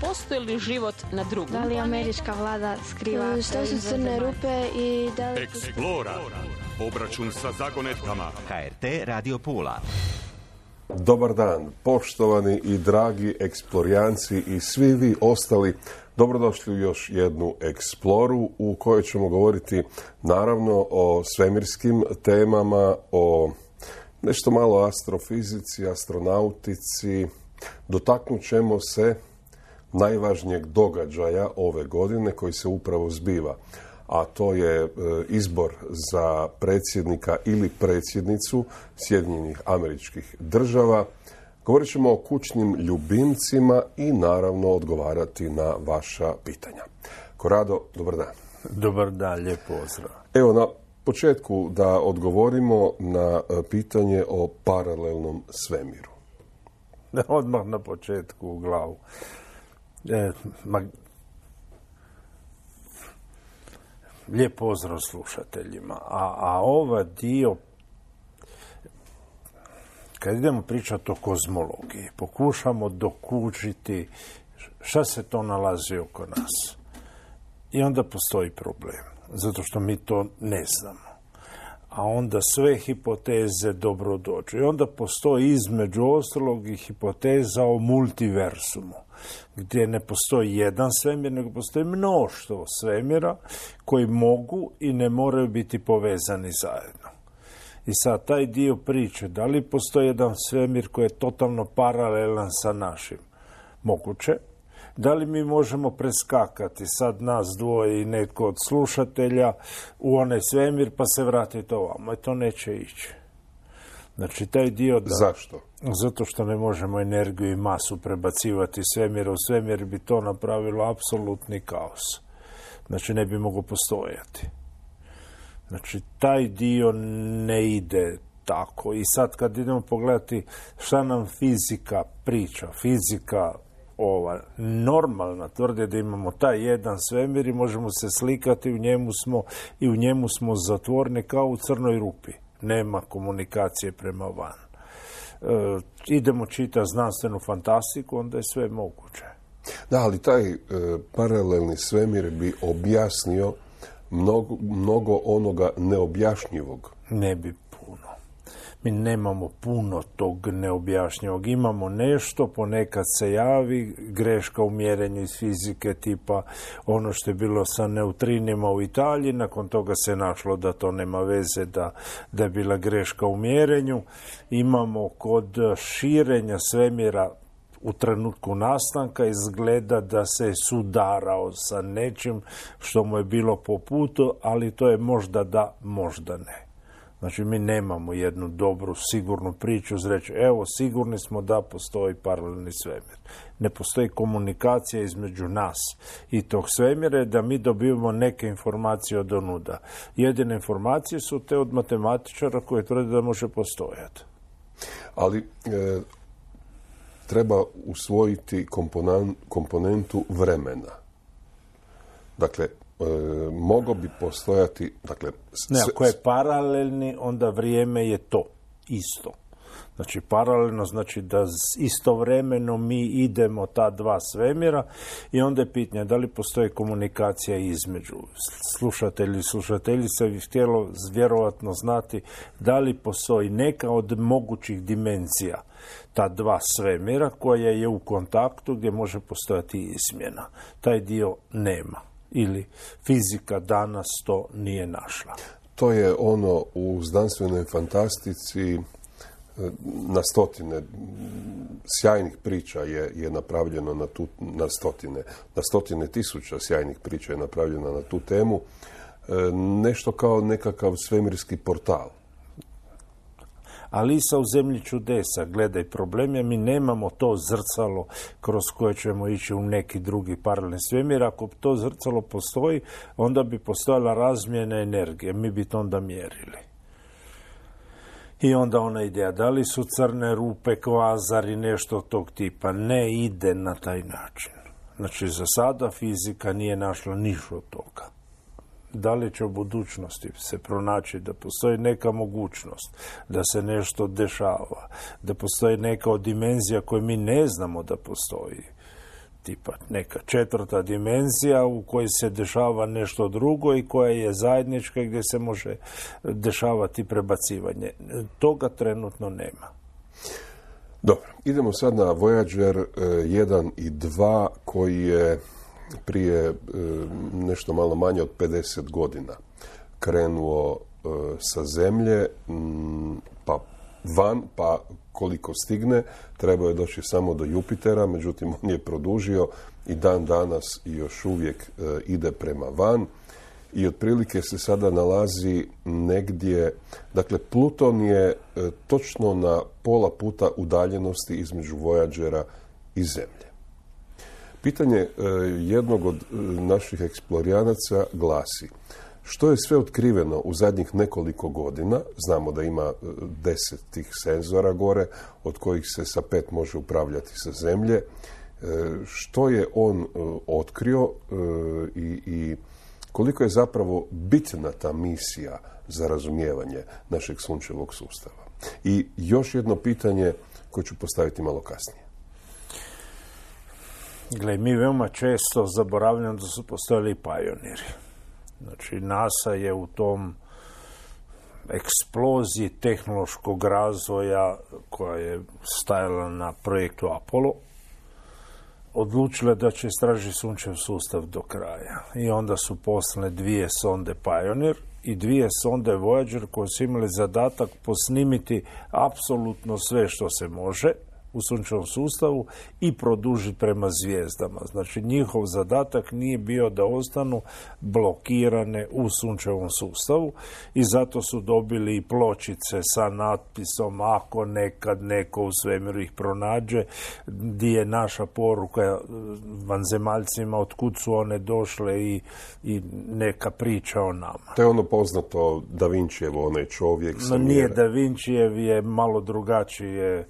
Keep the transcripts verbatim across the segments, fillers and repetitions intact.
postoji li život na drugim Da li američka vlada skriva što su crne rupe i da li... Eksplora. Obračun sa zagonetkama. H R T Radio Pula. Dobar dan, poštovani i dragi eksplorijanci i svi vi ostali. Dobrodošli u još jednu eksploru u kojoj ćemo govoriti naravno o svemirskim temama, o nešto malo astrofizici, astronautici. Dotaknut ćemo se najvažnijeg događaja ove godine koji se upravo zbiva, a to je izbor za predsjednika ili predsjednicu Sjedinjenih Američkih Država. Govorit ćemo o kućnim ljubimcima i naravno odgovarati na vaša pitanja. Korado, dobar dan. Dobar dan, lijep pozdrav. Evo, na početku da odgovorimo na pitanje o paralelnom svemiru. Odmah na početku u glavu. E, ma... Lijep pozdrav slušateljima. A, a ova dio, kad idemo pričati o kozmologiji, pokušamo dokučiti šta se to nalazi oko nas. I onda postoji problem, zato što mi to ne znamo. A onda sve hipoteze dobro dođu. I onda postoji između ostalog i hipoteza o multiversumu, gdje ne postoji jedan svemir, nego postoji mnoštvo svemira koji mogu i ne moraju biti povezani zajedno. I sad taj dio priče, da li postoji jedan svemir koji je totalno paralelan sa našim? Moguće. Da li mi možemo preskakati sad nas dvoje i netko od slušatelja u onaj svemir pa se vratiti ovamo? I to neće ići. Znači, taj dio da... Zašto? Zato što ne možemo energiju i masu prebacivati svemira u svemir, bi to napravilo apsolutni kaos. Znači, ne bi moglo postojati. Znači, taj dio ne ide tako. I sad kad idemo pogledati šta nam fizika priča, fizika ova normalna tvrdi da imamo taj jedan svemir i možemo se slikati, u njemu smo i u njemu smo zatvoreni kao u crnoj rupi. Nema komunikacije prema van. E, idemo čitati znanstvenu fantastiku, onda je sve moguće. Da, ali taj e, paralelni svemir bi objasnio mnogo, mnogo onoga neobjašnjivog. Ne bi puno. Mi nemamo puno tog neobjašnjivog. Imamo nešto, ponekad se javi greška u mjerenju iz fizike, tipa ono što je bilo sa neutrinima u Italiji, nakon toga se našlo da to nema veze, da, da je bila greška u mjerenju. Imamo kod širenja svemira u trenutku nastanka izgleda da se sudarao sa nečim što mu je bilo po putu, ali to je možda da, možda ne. Znači, mi nemamo jednu dobru, sigurnu priču za reći, evo, sigurni smo da postoji paralelni svemir. Ne postoji komunikacija između nas i tog svemira, da mi dobivamo neke informacije od onuda. Jedine informacije su te od matematičara koje tvrde da može postojati. Ali e, treba usvojiti komponan, komponentu vremena. Dakle, E, mogao bi postojati, dakle... Ne, ako je paralelni, onda vrijeme je to, isto. Znači, paralelno znači da istovremeno mi idemo ta dva svemira i onda je pitanje da li postoji komunikacija između. Slušatelji i slušateljice bi htjelo vjerojatno znati da li postoji neka od mogućih dimenzija ta dva svemira koja je u kontaktu gdje može postojati izmjena. Taj dio nema. Ili fizika danas to nije našla. To je ono u znanstvenoj fantastici na stotine sjajnih priča je, je napravljeno na, tu, na stotine, na stotine tisuća sjajnih priča je napravljeno na tu temu. E, nešto kao nekakav svemirski portal. Alisa u zemlji čudesa, gledaj, problem je mi nemamo to zrcalo kroz koje ćemo ići u neki drugi paralelni svemir. Ako to zrcalo postoji, onda bi postojala razmjena energije, mi bi to onda mjerili. I onda ona ideja, da li su crne rupe, kvazari, nešto tog tipa, ne ide na taj način. Znači, za sada fizika nije našla ništa od toga. Da li će u budućnosti se pronaći da postoji neka mogućnost da se nešto dešava, da postoji neka od dimenzija koje mi ne znamo da postoji, tipa neka četvrta dimenzija u kojoj se dešava nešto drugo i koja je zajednička gdje se može dešavati prebacivanje. Toga trenutno nema. Dobro, idemo sad na Voyager jedan i dva koji je prije nešto malo manje od pedeset godina krenuo sa Zemlje pa van, pa koliko stigne, trebao je doći samo do Jupitera, međutim on je produžio i dan danas još uvijek ide prema van i otprilike se sada nalazi negdje, dakle Pluton je točno na pola puta udaljenosti između Voyagera i Zemlje. Pitanje jednog od naših eksplorijanaca glasi: što je sve otkriveno u zadnjih nekoliko godina? Znamo da ima deset tih senzora gore, od kojih se sa pet može upravljati sa Zemlje. Što je on otkrio i, i koliko je zapravo bitna ta misija za razumijevanje našeg sunčevog sustava? I još jedno pitanje koje ću postaviti malo kasnije. Gle, mi veoma često zaboravljamo da su postojali pioniri. Znači, NASA je u tom eksploziji tehnološkog razvoja koja je stajala na projektu Apollo odlučila da će istražiti sunčev sustav do kraja. I onda su poslane dvije sonde Pioneer i dvije sonde Voyager koje su imali zadatak posnimiti apsolutno sve što se može u sunčevom sustavu i produžiti prema zvijezdama. Znači, njihov zadatak nije bio da ostanu blokirane u sunčevom sustavu i zato su dobili i pločice sa natpisom ako nekad neko u svemiru ih pronađe, gdje je naša poruka vanzemaljcima otkud su one došle i, i neka priča o nama. To je ono poznato Da Vincijevo, onaj čovjek sa no, nije Da Vincijev, je malo drugačije,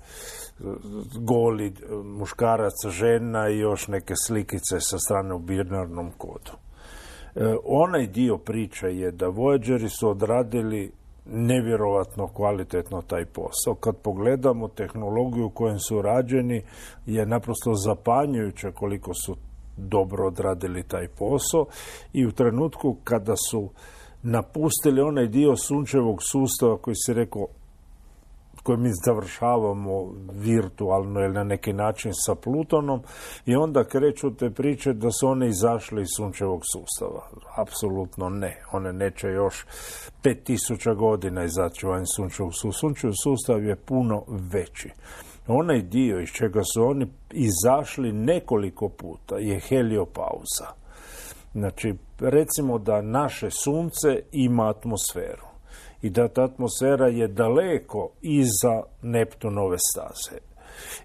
goli muškarac, žena i još neke slikice sa strane u binarnom kodu. E, onaj dio priče je da Voyageri su odradili nevjerovatno kvalitetno taj posao. Kad pogledamo tehnologiju u kojem su rađeni, je naprosto zapanjujuće koliko su dobro odradili taj posao i u trenutku kada su napustili onaj dio sunčevog sustava koji se rekao koje mi završavamo virtualno ili na neki način sa Plutonom i onda kreću te priče da su one izašle iz sunčevog sustava. Apsolutno ne. One neće još pet tisuća godina izaći van sunčevog sustava. Sunčev sustav je puno veći. Onaj dio iz čega su oni izašli nekoliko puta je heliopauza. Znači, recimo da naše sunce ima atmosferu i da ta atmosfera je daleko iza Neptunove staze.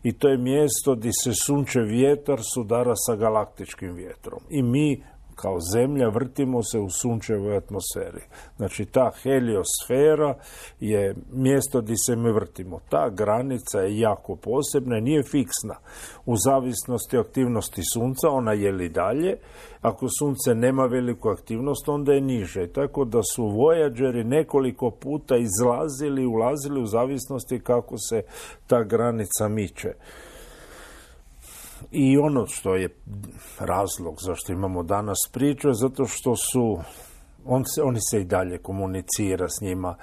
I to je mjesto gdje se sunčev vjetar sudara sa galaktičkim vjetrom. I mi, kao Zemlja, vrtimo se u sunčevoj atmosferi. Znači, ta heliosfera je mjesto gdje se mi vrtimo. Ta granica je jako posebna i nije fiksna. U zavisnosti od aktivnosti sunca, ona je li dalje. Ako sunce nema veliku aktivnost, onda je niže. Tako da su Voyageri nekoliko puta izlazili i ulazili u zavisnosti kako se ta granica miče. I ono što je razlog zašto imamo danas priču je zato što su on se, oni se i dalje komunicira s njima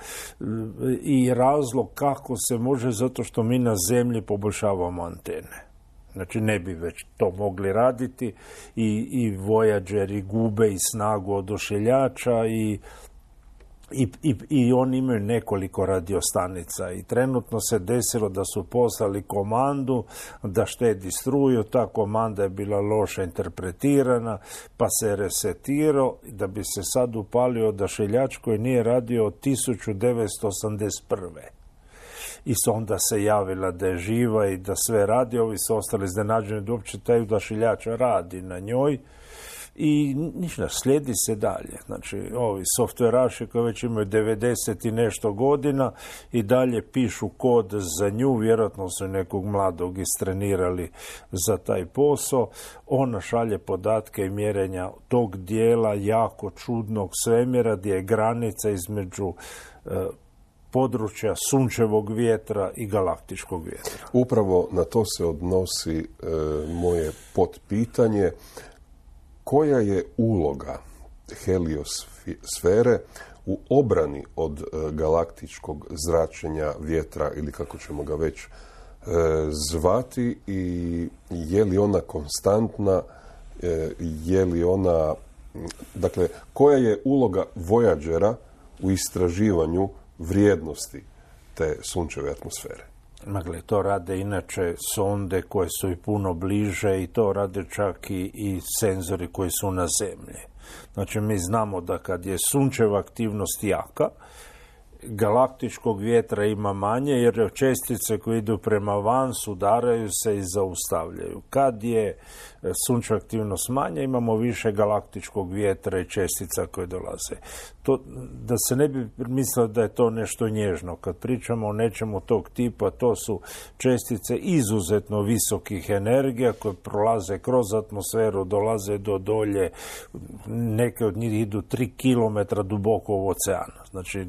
i razlog kako se može zato što mi na Zemlji poboljšavamo antene. Znači, ne bi već to mogli raditi i, i Voyageri gube i snagu odošiljača i I, i, i oni imaju nekoliko radiostanica i trenutno se desilo da su poslali komandu da štedi struju, ta komanda je bila loše interpretirana pa se resetirao da bi se sad upalio odašiljač koji nije radio od tisuću devetsto osamdeset prve. I onda se javila da je živa i da sve radi, ovi su ostali iznenađeni da uopće taj odašiljač radi na njoj. I ništa, slijedi se dalje. Znači, ovi softveraši koji već imaju devedeset i nešto godina i dalje pišu kod za nju, vjerojatno su nekog mladog istrenirali za taj posao. Ona šalje podatke i mjerenja tog dijela jako čudnog svemira gdje je granica između e, područja sunčevog vjetra i galaktičkog vjetra. Upravo na to se odnosi e, moje potpitanje. Koja je uloga heliosfere u obrani od e, galaktičkog zračenja vjetra, ili kako ćemo ga već e, zvati, i je li ona konstantna, e, je li ona, dakle, koja je uloga Voyagera u istraživanju vrijednosti te sunčeve atmosfere? Dakle, to rade inače sonde koje su i puno bliže i to rade čak i, i senzori koji su na zemlji. Znači, mi znamo da kad je sunčeva aktivnost jaka, galaktičkog vjetra ima manje, jer čestice koje idu prema van sudaraju se i zaustavljaju. Kad je sunčeva aktivnost manja, imamo više galaktičkog vjetra i čestica koje dolaze. To, da se ne bi mislilo da je to nešto nježno. Kad pričamo o nečemu tog tipa, to su čestice izuzetno visokih energija koje prolaze kroz atmosferu, dolaze do dolje, neke od njih idu tri kilometra duboko u oceanu. Znači,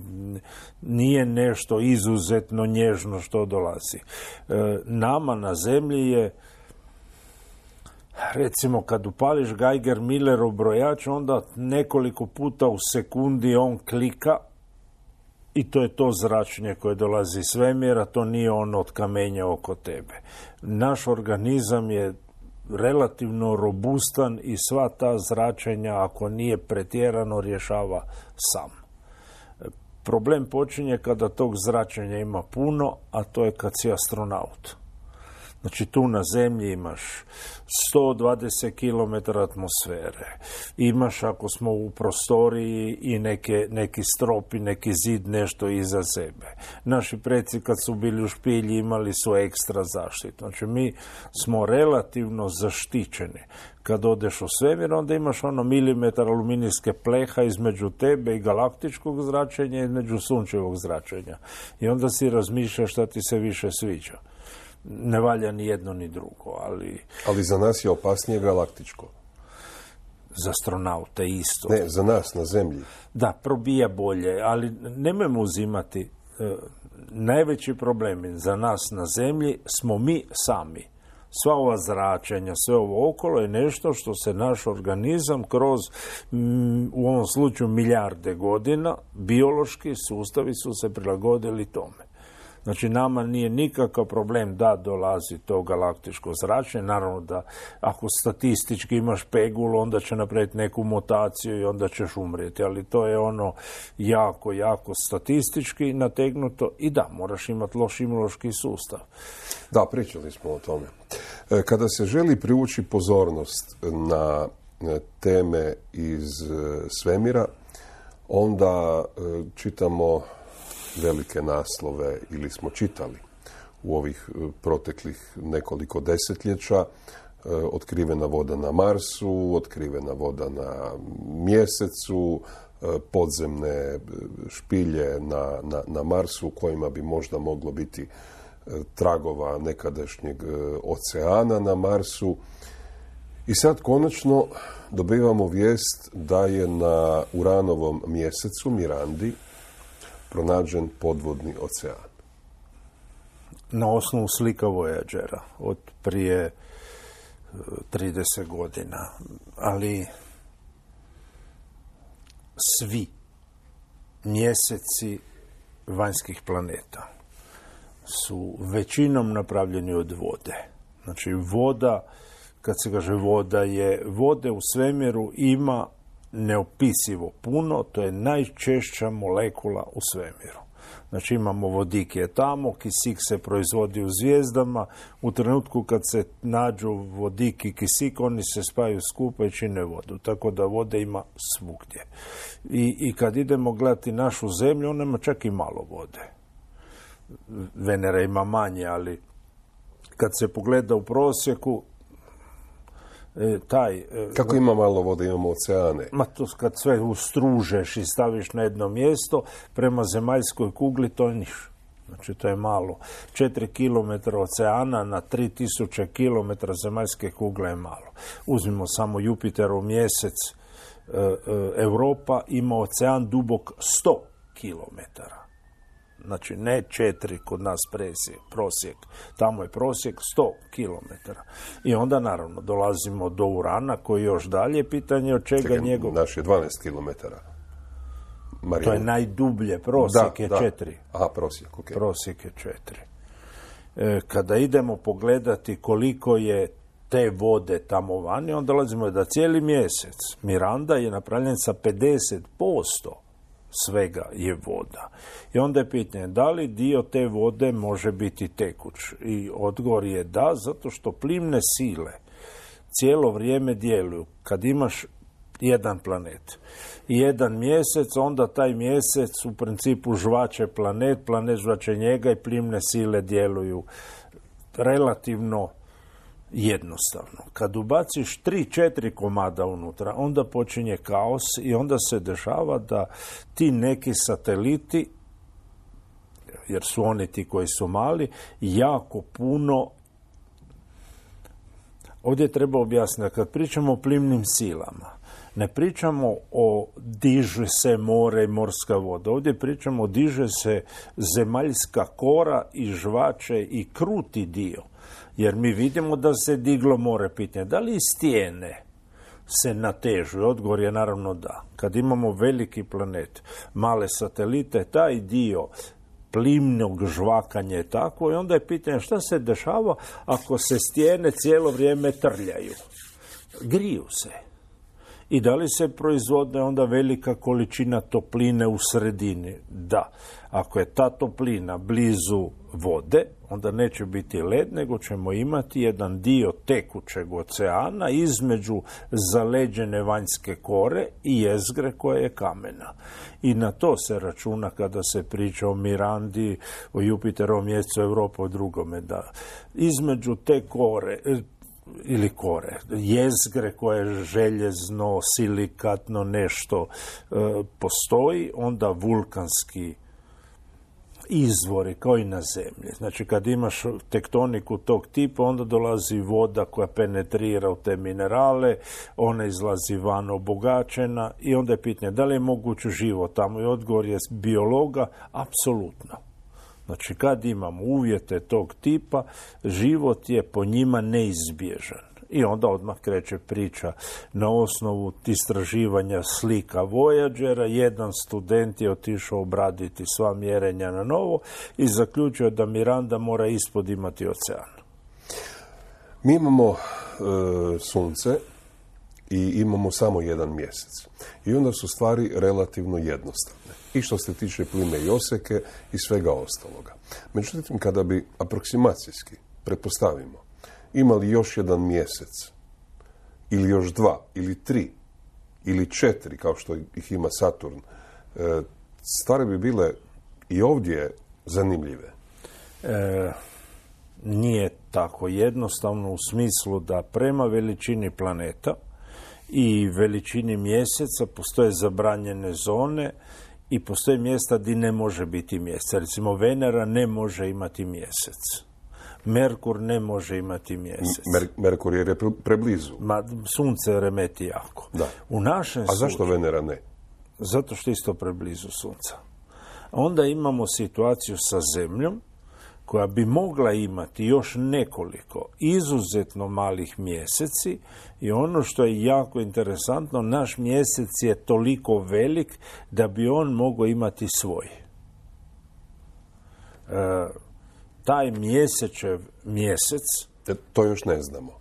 nije nešto izuzetno nježno što dolazi. E, nama na zemlji je, recimo, kad upališ Geiger-Millerov brojač, onda nekoliko puta u sekundi on klika i to je to zračenje koje dolazi iz svemira, to nije ono od kamenja oko tebe. Naš organizam je relativno robustan i sva ta zračenja, ako nije pretjerano, rješava sam. Problem počinje kada tog zračenja ima puno, a to je kad si astronaut. Znači, tu na zemlji imaš sto dvadeset kilometara atmosfere. Imaš, ako smo u prostoriji, i neke, neki strop i neki zid, nešto iza sebe. Naši preci kad su bili u špilji imali su ekstra zaštitu. Znači, mi smo relativno zaštićeni. Kad odeš u svemir, onda imaš ono milimetar aluminijske pleha između tebe i galaktičkog zračenja i između sunčevog zračenja. I onda si razmišljaš šta ti se više sviđa. Ne valja ni jedno ni drugo, ali... Ali za nas je opasnije galaktičko. Za astronaute isto. Ne, za nas na zemlji. Da, probija bolje, ali nemojmo uzimati. E, najveći problem za nas na zemlji smo mi sami. Sva ova zračenja, sve ovo okolo je nešto što se naš organizam kroz, m, u ovom slučaju, milijarde godina, biološki sustavi su se prilagodili tome. Znači, nama nije nikakav problem da dolazi to galaktičko zračenje. Naravno da ako statistički imaš pegulu, onda će napraviti neku mutaciju i onda ćeš umrijeti. Ali to je ono jako, jako statistički nategnuto i da, moraš imati loš imunološki sustav. Da, pričali smo o tome. Kada se želi privući pozornost na teme iz svemira, onda čitamo velike naslove, ili smo čitali u ovih proteklih nekoliko desetljeća: otkrivena voda na Marsu, otkrivena voda na Mjesecu, podzemne špilje na, na, na Marsu u kojima bi možda moglo biti tragova nekadašnjeg oceana na Marsu. I sad konačno dobivamo vijest da je na Uranovom mjesecu Mirandi pronađen podvodni ocean. Na osnovu slika Voyagera od prije trideset godina. Ali svi mjeseci vanjskih planeta su većinom napravljeni od vode. Znači, voda, kad se kaže voda, je vode u svemiru ima neopisivo puno, to je najčešća molekula u svemiru. Znači, imamo vodik je tamo, kisik se proizvodi u zvijezdama, u trenutku kad se nađu vodik i kisik, oni se spajaju skupa i čine vodu, tako da vode ima svugdje. I, i kad idemo gledati našu zemlju, ona ima čak i malo vode. Venera ima manje, ali kad se pogleda u prosjeku, E, taj... E, Kako ima malo vode, imamo oceane? Ma to kad sve ustružeš i staviš na jedno mjesto, prema zemaljskoj kugli to je niš. Znači, to je malo. Četiri kilometra oceana na tri tisuće kilometra zemaljske kugle je malo. Uzmimo samo Jupiterov mjesec. E, e, Europa ima ocean dubok sto kilometara. Znači ne četiri kod nas presjek, prosjek. Tamo je prosjek sto kilometara. I onda naravno dolazimo do Urana koji još dalje, pitanje od čega Čekaj, njegov... naš je dvanaest kilometara. Marijan. To je najdublje, prosjek da, je da. četiri. Aha, prosjek, ok. Prosjek je četiri. E, kada idemo pogledati koliko je te vode tamo vani, onda dolazimo da cijeli mjesec Miranda je napravljen sa pedeset posto svega je voda. I onda je pitanje, da li dio te vode može biti tekuć? I odgovor je da, zato što plimne sile cijelo vrijeme djeluju. Kad imaš jedan planet i jedan mjesec, onda taj mjesec u principu žvače planet, planet žvače njega i plimne sile djeluju relativno jednostavno. Kad ubaciš tri, četiri komada unutra, onda počinje kaos i onda se dešava da ti neki sateliti, jer su oni ti koji su mali, jako puno... Ovdje treba objasniti, kad pričamo o plimnim silama, ne pričamo o diže se more i morska voda. Ovdje pričamo o diže se zemaljska kora i žvače i kruti dio. Jer mi vidimo da se diglo more, pitanje. Da li stijene se natežu? Odgovor je naravno da. Kad imamo veliki planet, male satelite, taj dio plimnog žvakanja je tako i onda je pitanje šta se dešava ako se stijene cijelo vrijeme trljaju. Griju se. I da li se proizvodne onda velika količina topline u sredini? Da. Ako je ta toplina blizu vode, onda neće biti led, nego ćemo imati jedan dio tekućeg oceana između zaleđene vanjske kore i jezgre koja je kamena. I na to se računa kada se priča o Mirandi, o Jupiterovom mjesecu, Europi, o drugome. Da. Između te kore... ili kore, jezgre koje je željezno, silikatno nešto e, postoji, onda vulkanski izvori kao i na zemlji. Znači kad imaš tektoniku tog tipa, onda dolazi voda koja penetrira u te minerale, ona izlazi van obogaćena i onda je pitanje da li je moguć život tamo i odgovor je biologa, apsolutno. Znači, kad imamo uvjete tog tipa, život je po njima neizbježan. I onda odmah kreće priča na osnovu istraživanja slika Voyagera. Jedan student je otišao obraditi sva mjerenja na novo i zaključio da Miranda mora ispod imati ocean. Mi imamo e, sunce i imamo samo jedan mjesec. I onda su stvari relativno jednostavne. I što se tiče plime i oseke i svega ostaloga. Međutim, kada bi aproksimacijski, pretpostavimo, imali još jedan mjesec, ili još dva, ili tri, ili četiri, kao što ih ima Saturn, stvari bi bile i ovdje zanimljive. E, nije tako jednostavno u smislu da prema veličini planeta i veličini mjeseca postoje zabranjene zone i postoje mjesta gdje ne može biti mjesec. Recimo, Venera ne može imati mjesec. Merkur ne može imati mjesec. Mer- Merkur je pre- preblizu. Ma, sunce remeti jako. Da. U našem A zašto slučaju, Venera ne? Zato što je isto preblizu sunca. Onda imamo situaciju sa Zemljom koja bi mogla imati još nekoliko izuzetno malih mjeseci i ono što je jako interesantno, naš mjesec je toliko velik da bi on mogao imati svoj. E, taj mjesečev mjesec... E, to još ne znamo.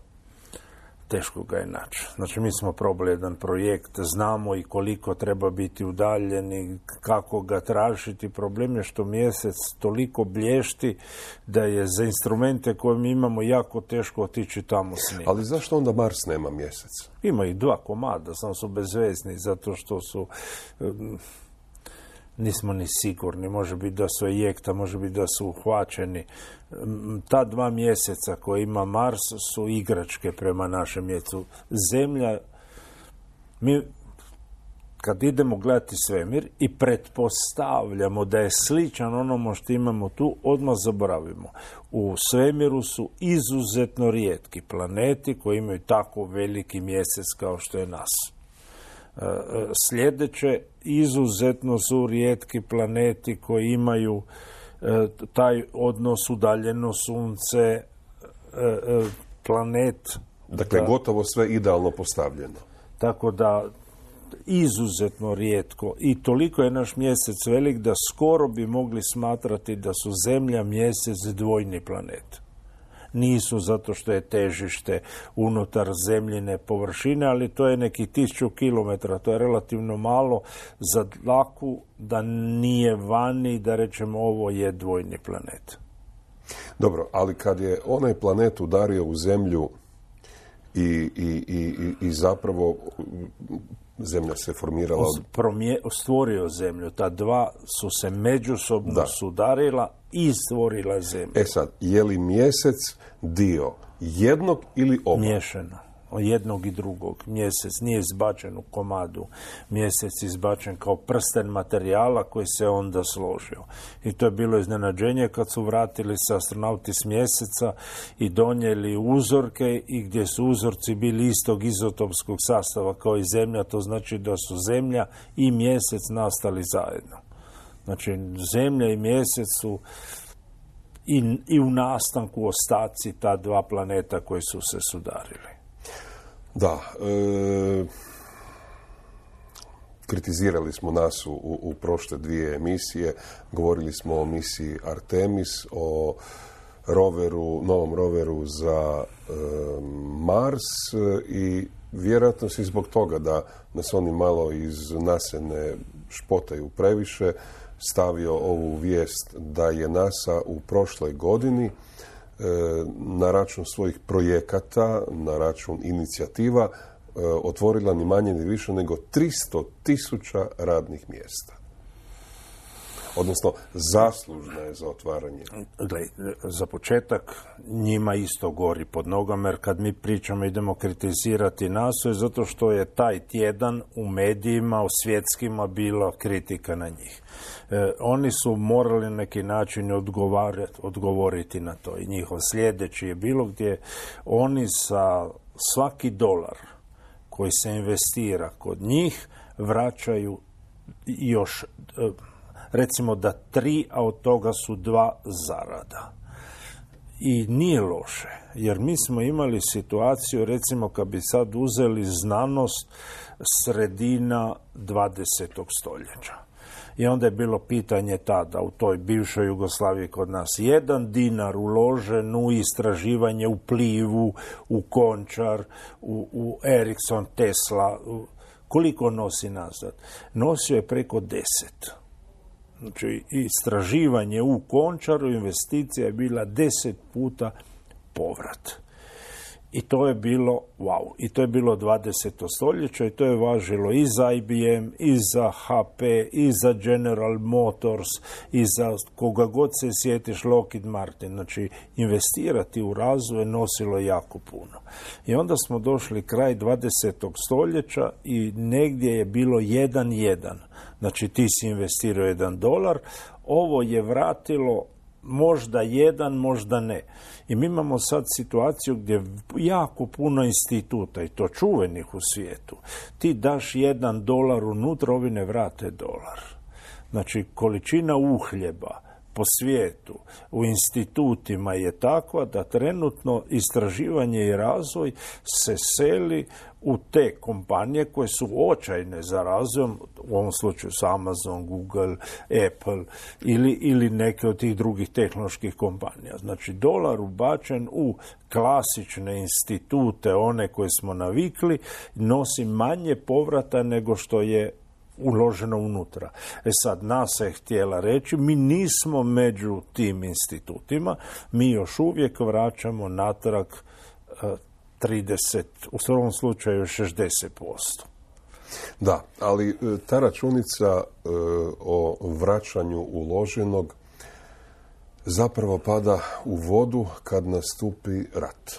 Teško ga je naći. Znači, mi smo probali jedan projekt, znamo i koliko treba biti udaljen i kako ga tražiti. Problem je što mjesec toliko blješti da je za instrumente koje mi imamo jako teško otići tamo s njim. Ali zašto onda Mars nema mjesec? Ima i dva komada, samo su bezvezni, zato što su... Nismo ni sigurni, može biti da su ejekta, može biti da su uhvaćeni. Ta dva mjeseca koje ima Mars su igračke prema našem mjesecu. Zemlja, mi kad idemo gledati svemir i pretpostavljamo da je sličan onomu što imamo tu, odmah zaboravimo. U svemiru su izuzetno rijetki planeti koji imaju tako veliki mjesec kao što je nas. Sljedeće, izuzetno su rijetki planeti koji imaju taj odnos udaljeno sunce, planet. Dakle, da, gotovo sve idealno postavljeno. Tako da, izuzetno rijetko. I toliko je naš mjesec velik da skoro bi mogli smatrati da su Zemlja, mjesec dvojni planet. Nisu zato što je težište unutar zemljine površine, ali to je neki tisuću kilometara, to je relativno malo za dlaku da nije vani, da rečemo ovo je dvojni planet. Dobro, ali kad je onaj planet udario u Zemlju i, i, i, i zapravo Zemlja se formirala... Promje, stvorio Zemlju. Ta dva su se međusobno da. sudarila i stvorila Zemlju. E sad, je li mjesec dio jednog ili oba? Miješano. Jednog i drugog. Mjesec nije izbačen u komadu. Mjesec je izbačen kao prsten materijala koji se onda složio. I to je bilo iznenađenje kad su vratili se astronauti s mjeseca i donijeli uzorke i gdje su uzorci bili istog izotopskog sastava kao i Zemlja. To znači da su Zemlja i mjesec nastali zajedno. Znači, Zemlja i mjesec su i, i u nastanku ostaci ta dva planeta koji su se sudarili. Da, e, kritizirali smo nas u, u prošle dvije emisije, govorili smo o misiji Artemis, o roveru, novom roveru za e, Mars i vjerojatno si zbog toga da nas oni malo iz nasene špotaju previše, stavio ovu vijest da je NASA u prošloj godini na račun svojih projekata, na račun inicijativa, otvorila ni manje ni više nego tristo tisuća radnih mjesta. Odnosno, zaslužna je za otvaranje. Gle, za početak, njima isto gori pod nogama, jer kad mi pričamo idemo kritizirati nasu, je zato što je taj tjedan u medijima, u svjetskima, bila kritika na njih. E, oni su morali na neki način odgovoriti na to. I njihov sljedeći je bilo gdje oni sa svaki dolar koji se investira kod njih vraćaju još... E, recimo da tri, a od toga su dva zarada. I nije loše, jer mi smo imali situaciju, recimo kad bi sad uzeli znanost sredina dvadesetog stoljeća. I onda je bilo pitanje tada u toj bivšoj Jugoslaviji kod nas. Jedan dinar uložen u istraživanje, u Plivu, u Končar, u, u Ericsson, Tesla. U, koliko nosi nazad? Nosio je preko deset. Znači, istraživanje u Končaru, investicija je bila deset puta povrat. I to je bilo, wow, i to je bilo dvadeseto stoljeće i to je važilo i za I B M, i za H P, i za General Motors, i za koga god se sjetiš, Lockheed Martin. Znači, investirati u razvoj nosilo jako puno. I onda smo došli kraj dvadesetog stoljeća i negdje je bilo jedan jedan. Znači, ti si investirao jedan dolar, ovo je vratilo možda jedan, možda ne. I mi imamo sad situaciju gdje jako puno instituta, i to čuvenih u svijetu, ti daš jedan dolar unutra, ovi ne vrate dolar. Znači, količina uhljeba po svijetu, u institutima je takva da trenutno istraživanje i razvoj se seli u te kompanije koje su očajne za razvojom, u ovom slučaju su Amazon, Google, Apple ili, ili neke od tih drugih tehnoloških kompanija. Znači, dolar ubačen u klasične institute, one koje smo navikli, nosi manje povrata nego što je uloženo unutra. E sad, NASA je htjela reći, mi nismo među tim institutima, mi još uvijek vraćamo natrag uh, trideset, u svom slučaju šezdeset posto. Da, ali ta računica uh, o vraćanju uloženog zapravo pada u vodu kad nastupi rat.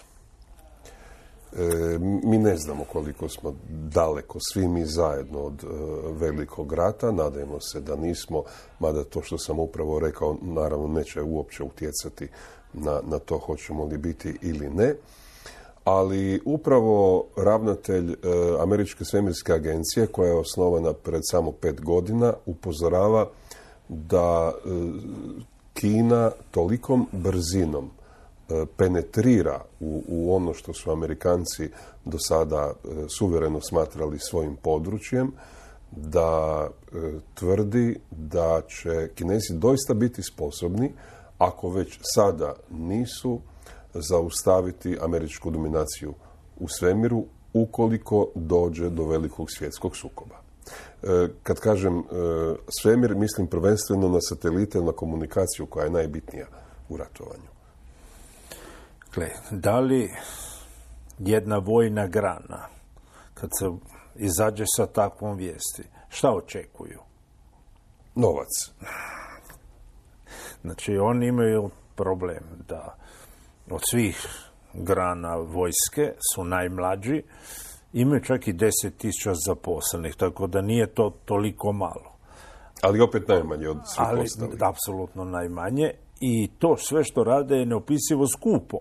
E, mi ne znamo koliko smo daleko, svi mi zajedno od e, velikog rata, nadajmo se da nismo, mada to što sam upravo rekao naravno neće uopće utjecati na, na to hoćemo li biti ili ne, ali upravo ravnatelj e, Američke svemirske agencije, koja je osnovana pred samo pet godina, upozorava da e, Kina tolikom brzinom e, penetrira u, u ono što su Amerikanci do sada e, suvereno smatrali svojim područjem, da e, tvrdi da će Kinezi doista biti sposobni, ako već sada nisu, zaustaviti američku dominaciju u svemiru ukoliko dođe do velikog svjetskog sukoba. E, kad kažem e, svemir, mislim prvenstveno na satelite, na komunikaciju koja je najbitnija u ratovanju. Gle, da li jedna vojna grana, kad se izađe sa takvom vijesti, šta očekuju? Novac. Znači, oni imaju problem da od svih grana vojske su najmlađi, imaju čak i deset tisuća zaposlenih, tako da nije to toliko malo. Ali opet najmanje od svih Ali, ostalih. apsolutno najmanje. I to sve što rade je neopisivo skupo.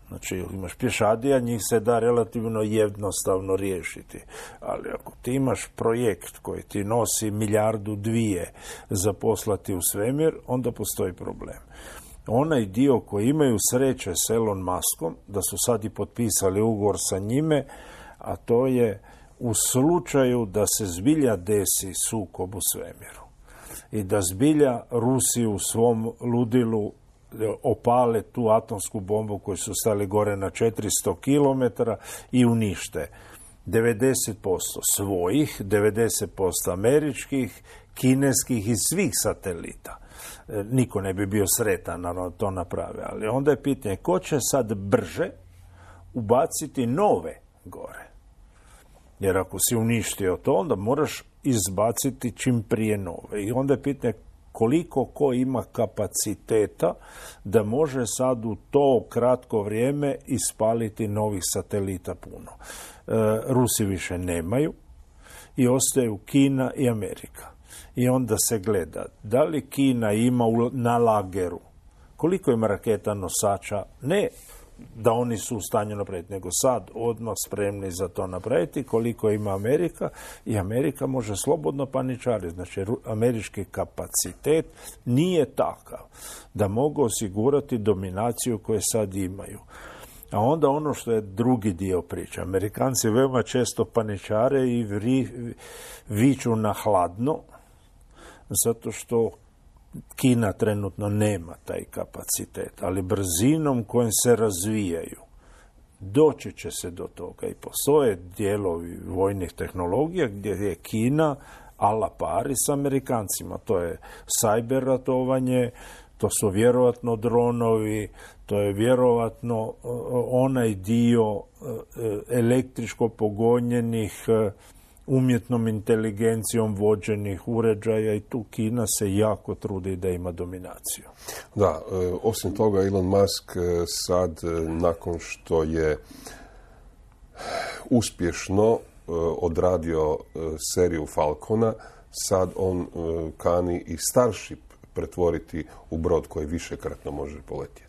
Znači, imaš pješadija, njih se da relativno jednostavno riješiti. Ali ako ti imaš projekt koji ti nosi milijardu dvije za poslati u svemir, onda postoji problem. Onaj dio koji imaju sreće s Elon Muskom, da su sad i potpisali ugovor sa njime, a to je u slučaju da se zbilja desi sukob u svemiru i da zbilja Rusi u svom ludilu opale tu atomsku bombu koju su stali gore na četiristo kilometara i unište devedeset posto svojih, devedeset posto američkih, kineskih i svih satelita. Niko ne bi bio sretan, naravno, to naprave. Ali onda je pitanje, ko će sad brže ubaciti nove gore? Jer ako si uništio to, onda moraš izbaciti čim prije nove. I onda je pitanje koliko ko ima kapaciteta da može sad u to kratko vrijeme ispaliti novih satelita puno. E, Rusi više nemaju i ostaju Kina i Amerika. I onda se gleda da li Kina ima na lageru, koliko ima raketa nosača, ne da oni su u stanju napraviti, nego sad odmah spremni za to napraviti, koliko ima Amerika, i Amerika može slobodno paničariti. Znači, američki kapacitet nije takav da mogu osigurati dominaciju koju sad imaju. A onda ono što je drugi dio priče. Amerikanci veoma često paničare i vri, viču na hladno, zato što Kina trenutno nema taj kapacitet, ali brzinom kojim se razvijaju doći će se do toga. I postoje dijelovi vojnih tehnologija gdje je Kina a la pari s Amerikancima. To je cyber ratovanje, to su vjerovatno dronovi, to je vjerovatno onaj dio električko pogonjenih, umjetnom inteligencijom vođenih uređaja, i tu Kina se jako trudi da ima dominaciju. Da, osim toga Elon Musk sad, nakon što je uspješno odradio seriju Falcona, sad on kani i Starship pretvoriti u brod koji višekratno može poletjeti.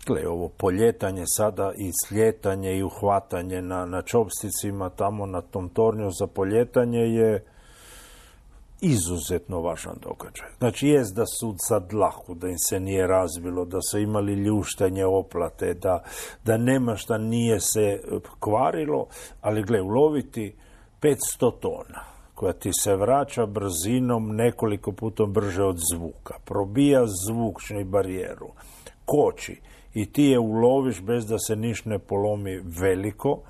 Gle, ovo poljetanje sada i sljetanje i uhvatanje na, na čopsticima tamo na tom tornju za poljetanje je izuzetno važan događaj. Znači, jest da su sad lahu, da im se nije razbilo, da su imali ljuštanje oplate, da, da nema šta nije se kvarilo, ali gle, uloviti petsto tona koja ti se vraća brzinom nekoliko puta brže od zvuka, probija zvučnu barijeru, koči, i ti je uloviš bez da se niš ne polomi veliko,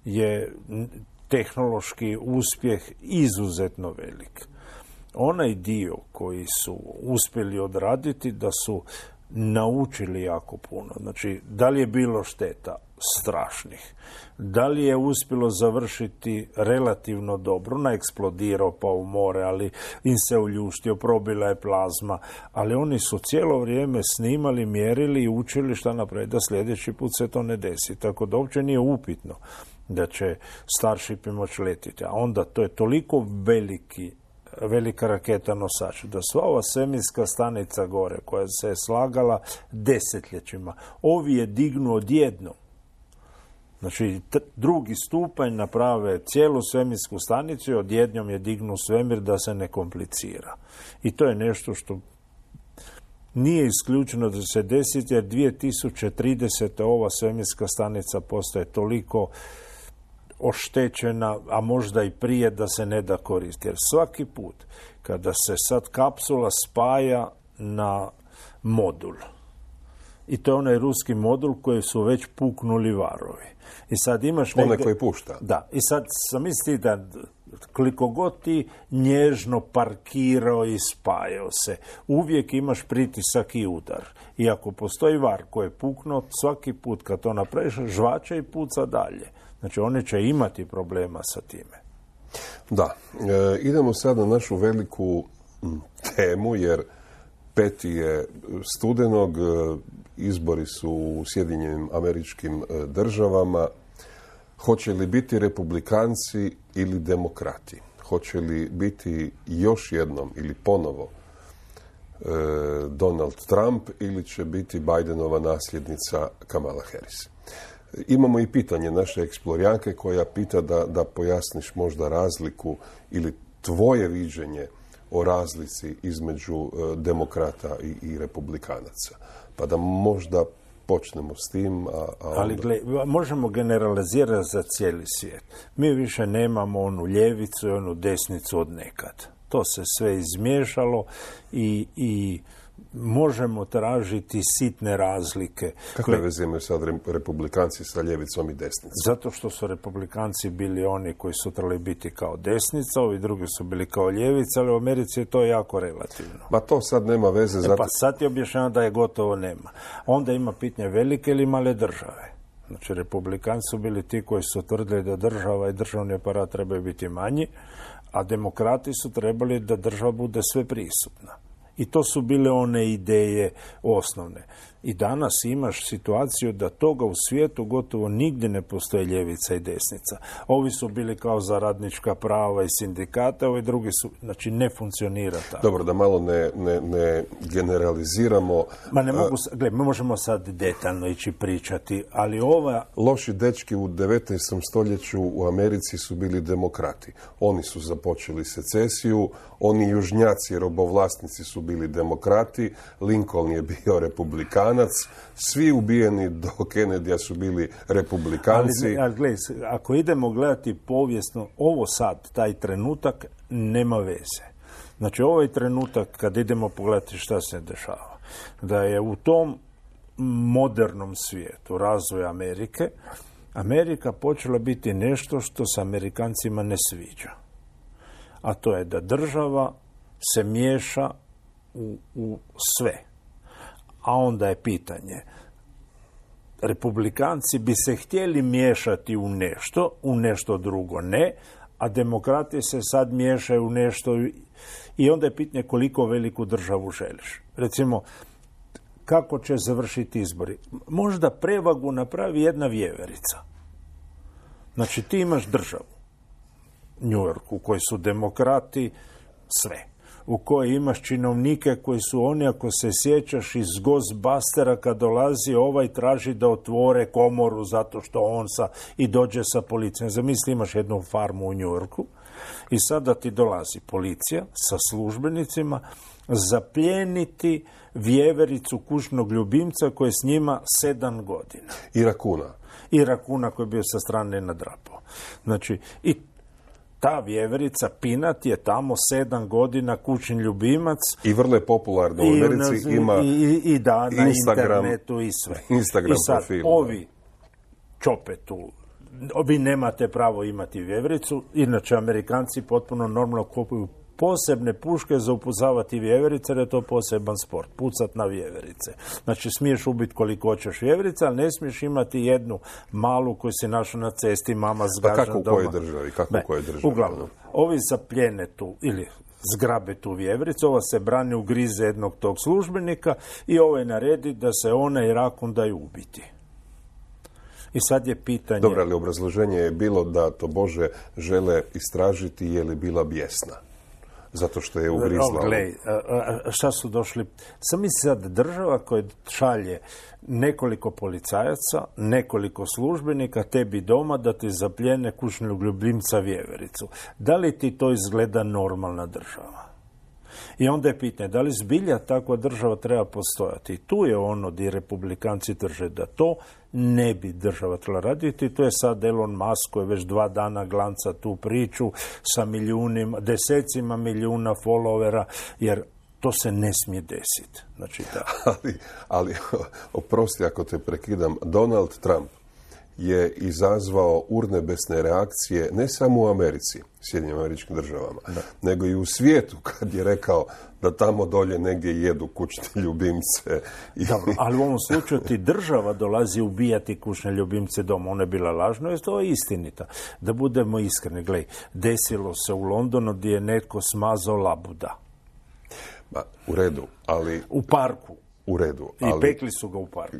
je tehnološki uspjeh izuzetno velik. Onaj dio koji su uspjeli odraditi, da su naučili jako puno. Znači, da li je bilo šteta? Strašnih. Da li je uspjelo završiti relativno dobro? Naeksplodirao pa u more, ali im se uljuštio, probila je plazma, ali oni su cijelo vrijeme snimali, mjerili i učili šta napraviti, da sljedeći put se to ne desi. Tako da uopće nije upitno da će Starship moći letiti. A onda to je toliko veliki velika raketa nosač, da sva ova svemirska stanica gore, koja se je slagala desetljećima, ovi je dignu odjednom Znači, t- drugi stupanj naprave cijelu svemirsku stanicu i odjednom je dignu svemir da se ne komplicira. I to je nešto što nije isključeno da će se desiti, jer dvije tisuće tridesete ova svemirska stanica postaje toliko oštećena, a možda i prije, da se ne da koristiti. Jer svaki put kada se sad kapsula spaja na modul, i to je onaj ruski modul koji su već puknuli varovi. I sad imaš negdje... Onaj koji pušta. Da. I sad sam misli da koliko god ti nježno parkirao i spajao se, uvijek imaš pritisak i udar. I ako postoji var koji je puknuo, svaki put kad to napraviš, žvača i puca dalje. Znači, oni će imati problema sa time. Da. E, idemo sad na našu veliku m, temu, jer peti je studenog, e, izbori su u Sjedinjenim Američkim e, državama. Hoće li biti republikanci ili demokrati? Hoće li biti još jednom ili ponovo e, Donald Trump ili će biti Bidenova nasljednica Kamala Harris? Imamo i pitanje naše eksplorijanke koja pita da, da pojasniš možda razliku ili tvoje viđenje o razlici između e, demokrata i, i republikanaca. Pa da možda počnemo s tim. A, a onda... Ali gle, možemo generalizirati za cijeli svijet. Mi više nemamo onu ljevicu i onu desnicu od nekad. To se sve izmiješalo i, i možemo tražiti sitne razlike. Kakve veze imaju sad republikanci sa ljevicom i desnicom? Zato što su republikanci bili oni koji su trebali biti kao desnica, ovi drugi su bili kao ljevica, ali u Americi je to jako relativno. Ma to sad nema veze. E zato... pa sad je objašnjeno da je gotovo nema. Onda ima pitanje velike ili male države. Znači, republikanci su bili ti koji su tvrdili da država i državni aparat trebaju biti manji, a demokrati su trebali da država bude sve prisutna. I to su bile one ideje osnovne. I danas imaš situaciju da toga u svijetu gotovo nigdje ne postoje ljevica i desnica. Ovi su bili kao za radnička prava i sindikate, ovi drugi su, znači ne funkcionira tako. Dobro, da malo ne, ne, ne generaliziramo. Ma ne mogu, gled, mi možemo sad detaljno ići pričati, ali ova... Loši dečki u devetnaestom stoljeću u Americi su bili demokrati. Oni su započeli secesiju, oni južnjaci, robovlasnici su bili demokrati, Lincoln je bio republikan, svi ubijeni do Kennedyja su bili republikanci. Ali, ali gledaj, ako idemo gledati povijesno, ovo sad, taj trenutak, nema veze. Znači, ovaj trenutak, kad idemo pogledati šta se dešava, da je u tom modernom svijetu razvoja Amerike, Amerika počela biti nešto što se Amerikancima ne sviđa. A to je da država se miješa u, u sve. A onda je pitanje, republikanci bi se htjeli miješati u nešto, u nešto drugo ne, a demokrati se sad miješaju u nešto i onda je pitanje koliko veliku državu želiš. Recimo, kako će završiti izbori? Možda prevagu napravi jedna vjeverica. Znači, ti imaš državu, New York, u kojoj su demokrati sve, u kojoj imaš činovnike koji su oni, ako se sjećaš, iz Ghostbustera, kad dolazi ovaj traži da otvore komoru zato što on sa, i dođe sa policijom. Zamisli, imaš jednu farmu u New Yorku i sada ti dolazi policija sa službenicima zapljeniti vjevericu kućnog ljubimca koji je s njima sedam godina. I rakuna. I rakuna koji je bio sa strane nadrapao. Znači, i ta vjeverica Pinat je tamo sedam godina kućni ljubimac. I vrlo je popularno u Americi, i, ima i, i, i da, na Instagram, internetu i sve. Instagram I sad, profil. Ovi čopetu, vi nemate pravo imati vjevericu, inače Amerikanci potpuno normalno kupuju posebne puške za upucavati vjeverice, jer je to poseban sport, pucat na vjeverice. Znači, smiješ ubiti koliko hoćeš vjeverice, ali ne smiješ imati jednu malu koju si našao na cesti, mama zgaža doma. Pa kako u kojoj državi? Kako u kojoj državi? Uglavnom, ovi zapljene tu, ili zgrabe tu vjevericu, ova se brani, ugrize jednog tog službenika i ovaj naredi da se ona i rakun daju ubiti. I sad je pitanje... Dobro, ali obrazloženje je bilo da to Bože žele istražiti je li bila bijesna. zato što je ugrizla. Glej, šta su došli? Sam misli sad država koja šalje nekoliko policajaca, nekoliko službenika tebi doma da ti zapljene kućnog ljubimca vjevericu. Da li ti to izgleda normalna država? I onda je pitanje, da li zbilja takva država treba postojati? I tu je ono gdje republikanci drže da to ne bi država trebala raditi. I to je sad Elon Musk koji već dva dana glanca tu priču sa milijunima, desecima milijuna followera, jer to se ne smije desiti. Znači, da. ali, ali, oprosti ako te prekidam, Donald Trump je izazvao urnebesne reakcije ne samo u Americi, Sjedinjenim Američkim Državama, da. nego i u svijetu kad je rekao da tamo dolje negdje jedu kućne ljubimce. I... Dobro, ali u ovom slučaju ti država dolazi ubijati kućne ljubimce doma. Ona je bila lažna, jer to je istinita. Da budemo iskreni, gledaj, desilo se u Londonu gdje je netko smazao labuda. Ma, u redu, ali... U parku. U redu, I ali pekli su ga u parku.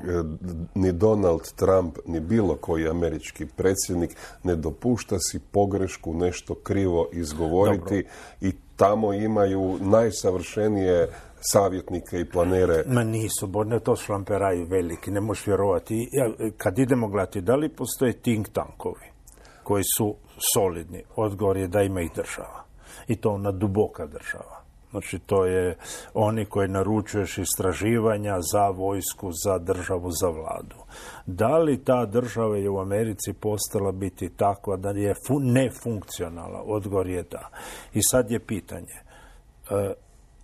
Ni Donald Trump, ni bilo koji američki predsjednik ne dopušta si pogrešku, nešto krivo izgovoriti. Dobro. I tamo imaju najsavršenije savjetnike i planere. Ma nisu, bo ne to šlamperaju veliki, ne možeš vjerovati. Kad idemo gledati, da li postoje think tankovi koji su solidni? Odgovor je da ima ih država. I to ona duboka država. Znači, to je oni koji naručuješ istraživanja za vojsku, za državu, za vladu. Da li ta država je u Americi postala biti takva da je fu- nefunkcionalna? Odgovor je da. I sad je pitanje. E,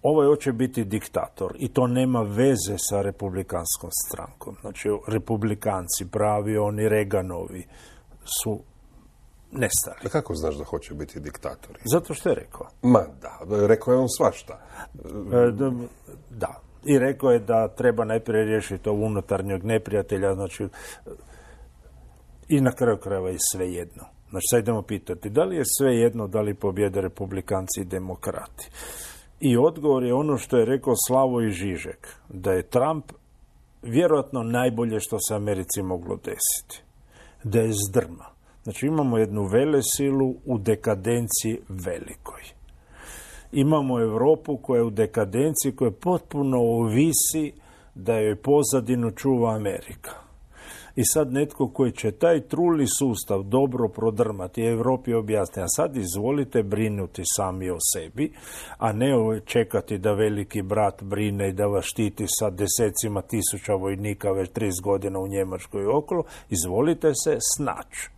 ovo je hoće biti diktator i to nema veze sa republikanskom strankom. Znači, republikanci, pravi, oni Reaganovi su nestali. A kako znaš da hoće biti diktatori? Zato što je rekao. Ma da, rekao je on svašta. E, da. I rekao je da treba najprije riješiti ovog unutarnjeg neprijatelja, znači i na kraju krajeva je sve jedno. Znači, sad idemo pitati, da li je sve jedno da li pobjede republikanci i demokrati? I odgovor je ono što je rekao Slavoj Žižek, da je Trump vjerojatno najbolje što se Americi moglo desiti. Da je zdrma. Znači, imamo jednu velesilu u dekadenciji velikoj. Imamo Europu koja je u dekadenciji, koja potpuno ovisi da joj pozadinu čuva Amerika. I sad netko koji će taj truli sustav dobro prodrmati i Europi objasni, a sad izvolite brinuti sami o sebi, a ne čekati da veliki brat brine i da vas štiti sa desecima tisuća vojnika već trideset godina u Njemačkoj i okolo, izvolite se snaći.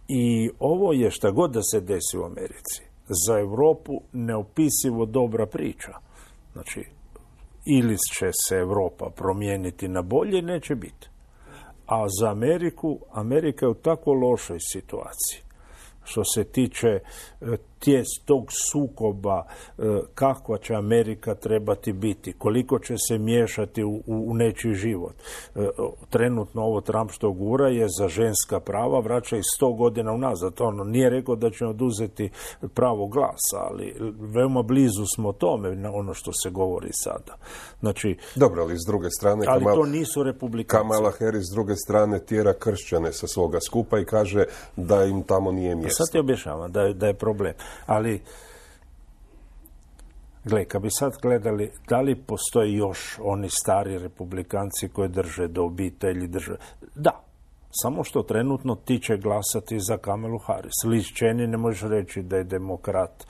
I ovo je šta god da se desi u Americi. Za Europu neopisivo dobra priča. Znači, ili će se Europa promijeniti na bolje, neće biti. A za Ameriku, Amerika je u tako lošoj situaciji. Što se tiče tijest tog sukoba, kakva će Amerika trebati biti, koliko će se miješati u, u nečiji život. Trenutno ovo Trump što gura je za ženska prava, vraća ih sto godina unazad. Ono nije rekao da će oduzeti pravo glasa, ali veoma blizu smo tome na ono što se govori sada. Znači, dobro, ali s druge strane ali Kamal, to nisu republikanci. Kamala Harris s druge strane tjera kršćane sa svoga skupa i kaže da im tamo nije mjesto. Sad ti objašnjavam da je, da je problem. Ali, gle, kad bi sad gledali da li postoji još oni stari republikanci koji drže do obitelji, drže... Da, samo što trenutno ti će glasati za Kamalu Harris. Liz Cheney ne možeš reći da je demokrat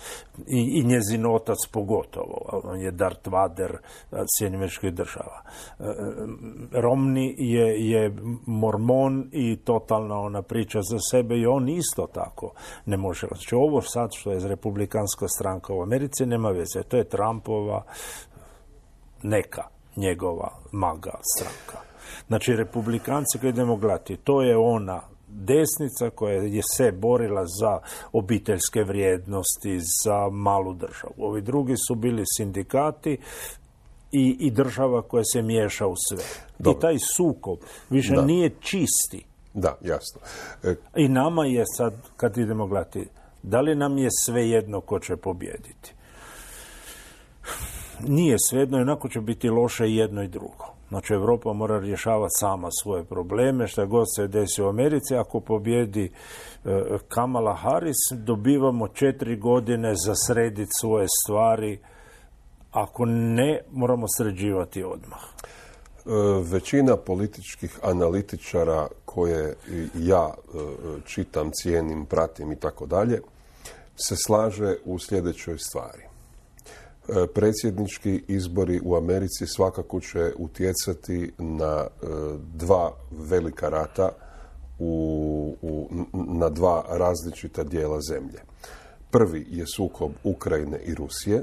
i, i njezin otac pogotovo. On je Darth Vader Sjedinjenih Američkih Država. Romney je, je mormon i totalna ona priča za sebe i on isto tako ne može. Znači, ovo sad što je republikanska stranka u Americi nema veze. To je Trumpova neka njegova maga stranka. Znači, republikanci koji idemo gledati, to je ona desnica koja je se borila za obiteljske vrijednosti, za malu državu. Ovi drugi su bili sindikati i, i država koja se miješa u sve. Dobro. I taj sukob više da. nije čisti. Da, jasno. E... I nama je sad, kad idemo gledati, da li nam je svejedno ko će pobijediti? Nije svejedno, jednako će biti loše jedno i drugo. Znači, Europa mora rješavati sama svoje probleme, što god se desi u Americi. Ako pobjedi e, Kamala Harris, dobivamo četiri godine za srediti svoje stvari. Ako ne, moramo sređivati odmah. E, većina političkih analitičara koje ja e, čitam, cijenim, pratim i tako dalje, se slaže u sljedećoj stvari. E, predsjednički izbori u Americi svakako će utjecati na e, dva velika rata u, u, na dva različita dijela zemlje. Prvi je sukob Ukrajine i Rusije.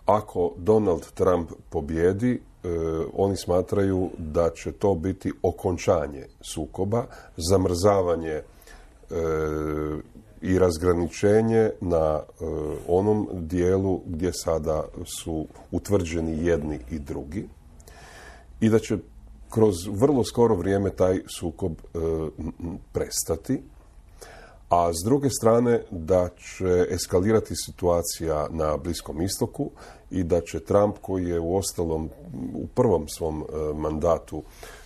Ako Donald Trump pobjedi, e, oni smatraju da će to biti okončanje sukoba, zamrzavanje e, i razgraničenje na e, onom dijelu gdje sada su utvrđeni jedni i drugi i da će kroz vrlo skoro vrijeme taj sukob e, prestati. A s druge strane da će eskalirati situacija na Bliskom istoku i da će Trump, koji je u ostalom u prvom svom e, mandatu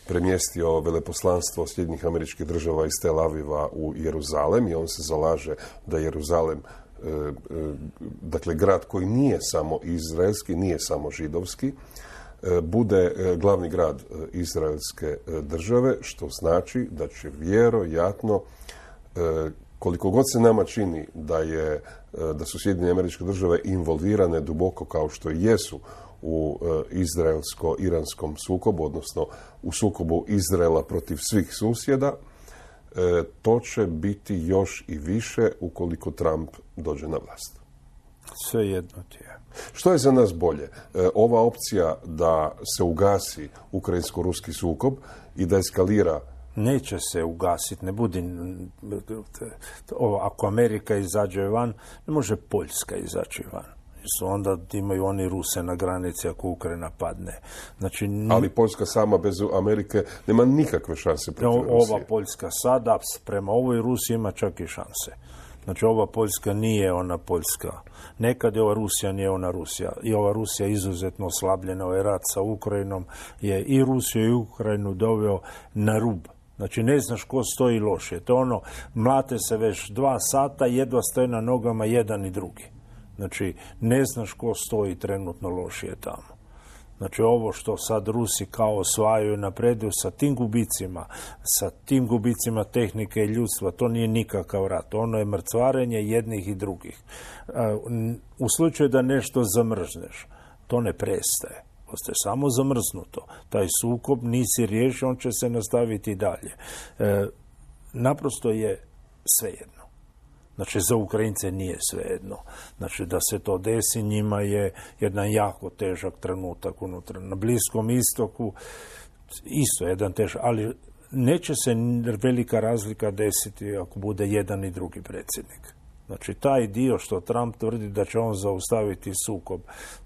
premjestio veleposlanstvo Sjedinjenih Američkih Država iz Tel Aviva u Jeruzalem i on se zalaže da Jeruzalem, e, e, dakle grad koji nije samo izraelski, nije samo židovski, e, bude e, glavni grad e, izraelske e, države, što znači da će vjerojatno e, koliko god se nama čini da, je, da su Sjedinjene Američke Države involvirane duboko kao što i jesu u izraelsko-iranskom sukobu, odnosno u sukobu Izraela protiv svih susjeda, to će biti još i više ukoliko Trump dođe na vlast. Sve jedno ti je. Što je za nas bolje? Ova opcija da se ugasi ukrajinsko-ruski sukob i da eskalira. Neće se ugasiti, ne budi, ovo, ako Amerika izađe van, ne može Poljska izaći van. Su onda imaju oni Ruse na granici ako Ukrajina padne. Znači, n... Ali Poljska sama bez Amerike nema nikakve šanse protiv Rusije. Ova Poljska sada prema ovoj Rusiji ima čak i šanse. Znači, ova Poljska nije ona Poljska. Nekad je ova Rusija, nije ona Rusija. I ova Rusija izuzetno oslabljena. Ovaj rat sa Ukrajinom je i Rusiju i Ukrajinu doveo na rub. Znači, ne znaš ko stoji lošije. To ono, mlate se već dva sata, jedva stoje na nogama jedan i drugi. Znači, ne znaš ko stoji trenutno lošije tamo. Znači, ovo što sad Rusi kao osvajaju i napreduju sa tim gubicima, sa tim gubicima tehnike i ljudstva, to nije nikakav rat. Ono je mrcvarenje jednih i drugih. U slučaju da nešto zamrzneš, to ne prestaje. Ostaje samo zamrznuto. Taj sukob nisi riješio, on će se nastaviti dalje. E, naprosto je svejedno. Znači, za Ukrajince nije svejedno. Znači, da se to desi, njima je jedan jako težak trenutak unutra. Na Bliskom istoku isto jedan težak, ali neće se velika razlika desiti ako bude jedan i drugi predsjednik. Znači, taj dio što Trump tvrdi da će on zaustaviti sukob,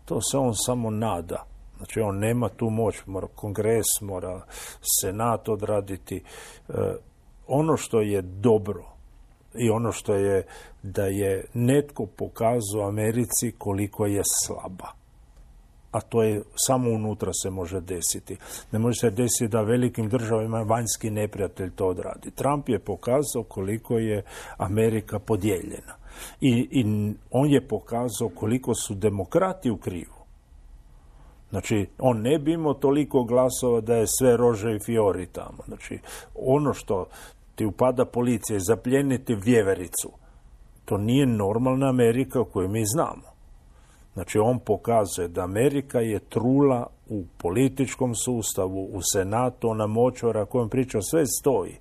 to se on samo nada. Znači, on nema tu moć, mora kongres, mora senat odraditi. E, ono što je dobro i ono što je da je netko pokazao Americi koliko je slaba. A to je samo unutra se može desiti. Ne može se desiti da velikim državama vanjski neprijatelj to odradi. Trump je pokazao koliko je Amerika podijeljena. I, i on je pokazao koliko su demokrati u krivu. Znači, on ne bi imao toliko glasova da je sve rože i fiori tamo. Znači, ono što ti upada policija i zapljeniti vjevericu, to nije normalna Amerika koju mi znamo. Znači, on pokazuje da Amerika je trula u političkom sustavu, u senatu, ona močvara kojom priča sve stoji.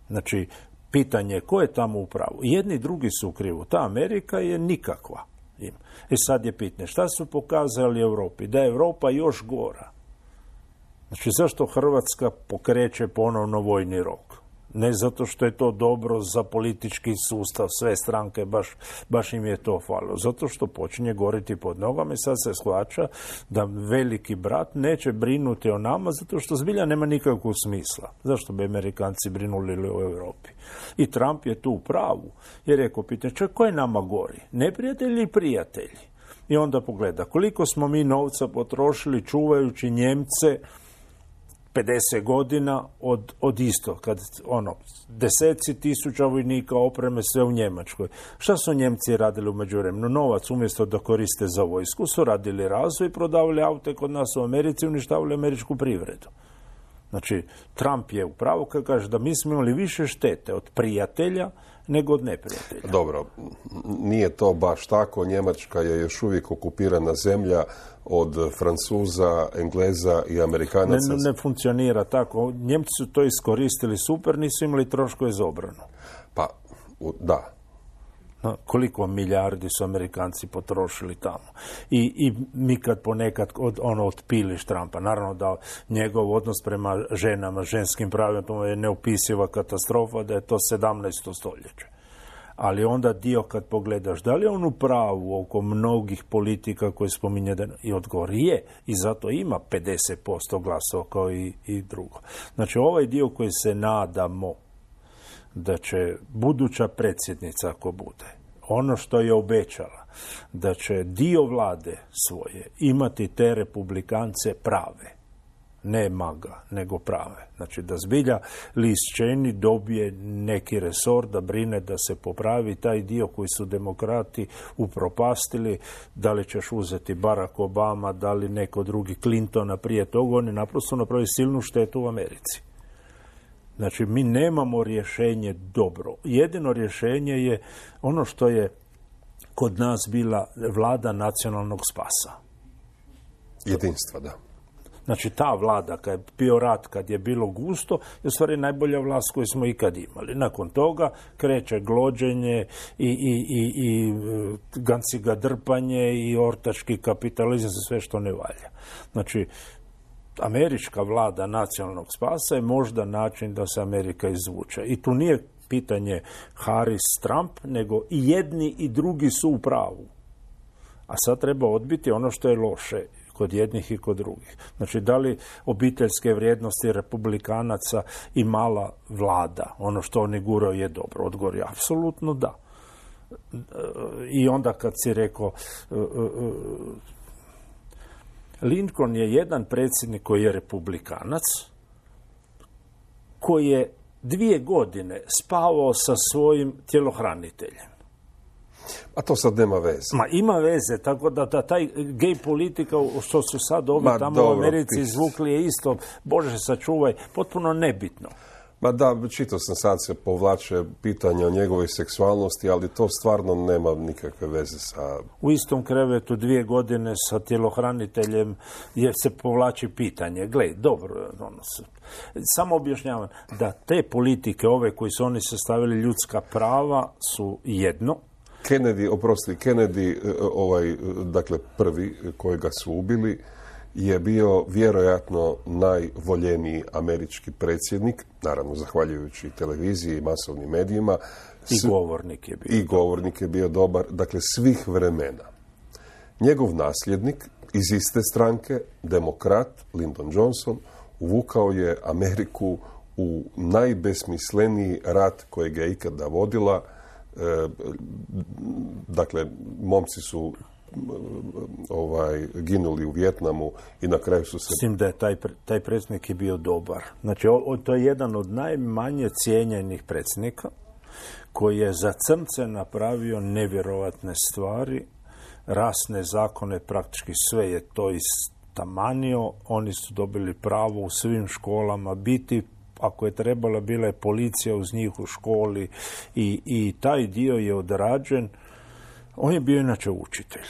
Znači, pitanje je ko je tamo u pravu. Jedni i drugi su u krivu. Ta Amerika je nikakva. I sad je pitanje, šta su pokazali Europi? Da je Europa još gora. Znači, zašto Hrvatska pokreće ponovno vojni rok? Ne zato što je to dobro za politički sustav, sve stranke, baš, baš im je to falilo. Zato što počinje goriti pod nogama i sad se shvaća da veliki brat neće brinuti o nama zato što zbilja nema nikakvog smisla. Zašto bi Amerikanci brinuli o Europi? I Trump je tu u pravu. Jer je rekao, pitanje, čak ko je nama gori? Neprijatelji ili prijatelji? I onda pogleda koliko smo mi novca potrošili čuvajući Njemce pedeset godina od, od isto, kad ono, deseci tisuća vojnika opreme sve u Njemačkoj. Šta su Njemci radili u međuvremenu? Novac umjesto da koriste za vojsku su radili razvoj, prodavali aute kod nas u Americi, uništavali američku privredu. Znači, Trump je upravo kad kaže da mi smo imali više štete od prijatelja nego od neprijatelja. Dobro, nije to baš tako. Njemačka je još uvijek okupirana zemlja od Francuza, Engleza i Amerikanaca. Ne, ne funkcionira tako. Njemci su to iskoristili super, nisu imali troškove za obranu. Pa, da. No, koliko milijardi su Amerikanci potrošili tamo. I, i mi kad ponekad od, ono otpiliš Trumpa, naravno da njegov odnos prema ženama, ženskim pravima je neopisiva katastrofa, da je to sedamnaesto stoljeće. Ali onda dio kad pogledaš, da li je on u pravu oko mnogih politika koje spominje da i odgovor je, i zato ima pedeset posto glasova kao i, i drugo. Znači ovaj dio koji se nadamo da će buduća predsjednica, ako bude, ono što je obećala, da će dio vlade svoje imati te republikance prave, ne maga, nego prave. Znači da zbilja Liz Cheney dobije neki resor da brine da se popravi taj dio koji su demokrati upropastili, da li ćeš uzeti Barack Obama, da li neko drugi Clintona prije toga, oni naprosto napravi silnu štetu u Americi. Znači, mi nemamo rješenje dobro. Jedino rješenje je ono što je kod nas bila vlada nacionalnog spasa. Jedinstva, da. Znači, ta vlada, kad je bio rat, kad je bilo gusto, je u stvari najbolja vlast koju smo ikad imali. Nakon toga kreće glođenje i, i, i, i ganciga drpanje i ortački kapitalizam, sve što ne valja. Znači, američka vlada nacionalnog spasa je možda način da se Amerika izvuče. I tu nije pitanje Harris-Trump, nego i jedni i drugi su u pravu. A sad treba odbiti ono što je loše kod jednih i kod drugih. Znači, da li obiteljske vrijednosti republikanaca i mala vlada, ono što oni guraju je dobro? Odgovor je apsolutno da. I onda kad si rekao Lincoln je jedan predsjednik koji je republikanac, koji je dvije godine spavao sa svojim tjelohraniteljem. A to sad nema veze. Ma ima veze, tako da, da taj gej politika što su sad ovi Ma, tamo dobro, u Americi izvukli je isto, Bože sačuvaj, potpuno nebitno. Ma da, čitao sam sad se povlače pitanja o njegovoj seksualnosti, ali to stvarno nema nikakve veze sa... U istom krevetu dvije godine sa tjelohraniteljem je se povlači pitanje. Glej, dobro, ono, samo objašnjavam da te politike, ove koji su oni sastavili ljudska prava, su jedno. Kennedy, oprosti, Kennedy, ovaj, dakle prvi kojega su ubili, je bio vjerojatno najvoljeniji američki predsjednik, naravno zahvaljujući televiziji i masovnim medijima. I govornik je bio. I govornik je bio dobar, dakle svih vremena. Njegov nasljednik iz iste stranke, demokrat Lyndon Johnson, uvukao je Ameriku u najbesmisleniji rat kojeg je ikada vodila. E, dakle, momci su ovaj, ginuli u Vijetnamu i na kraju su se... Mislim da je taj, taj predsjednik je bio dobar. Znači, o, to je jedan od najmanje cijenjenih predsjednika koji je za crnce napravio nevjerovatne stvari, rasne zakone, praktički sve je to istamanio. Oni su dobili pravo u svim školama biti, ako je trebala, bila je policija uz njih u školi i, i taj dio je odrađen. On je bio inače učitelj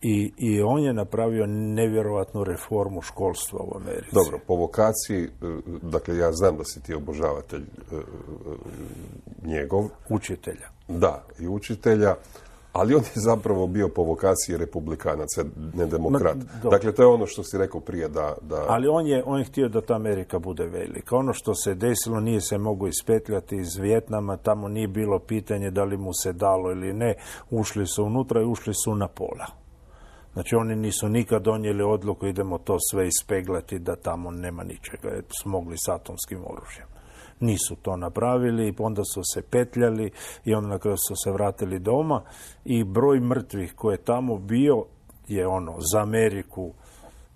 I, i on je napravio nevjerojatnu reformu školstva u Americi. Dobro, po vokaciji, dakle ja znam da si ti obožavatelj njegov. Učitelja. Da, i učitelja, ali on je zapravo bio po vokaciji republikanac, ne demokrat. Ma, dakle, to je ono što si rekao prije da... da... Ali on je, on je htio da ta Amerika bude velika. Ono što se desilo nije se moglo ispetljati iz Vijetnama, tamo nije bilo pitanje da li mu se dalo ili ne. Ušli su unutra i ušli su na pola. Znači, oni nisu nikad donijeli odluku, idemo to sve ispeglati, da tamo nema ničega, jer su mogli s atomskim oružjem. Nisu to napravili, onda su se petljali i onda na kraju su se vratili doma i broj mrtvih koji je tamo bio je ono za Ameriku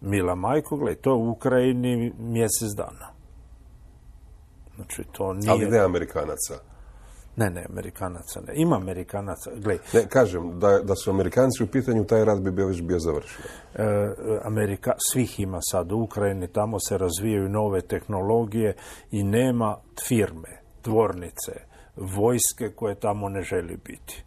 mila majko, gledaj, to je u Ukrajini mjesec dana. Znači, to nije... Ali ne Amerikanaca. Ne, ne, Amerikanaca ne. Ima Amerikanaca, gledaj. Ne, kažem, da, da su Amerikanci u pitanju, taj rat bi bio već bio završen. E, Amerika, svih ima sad u Ukrajini, tamo se razvijaju nove tehnologije i nema firme, tvornice, vojske koje tamo ne želi biti.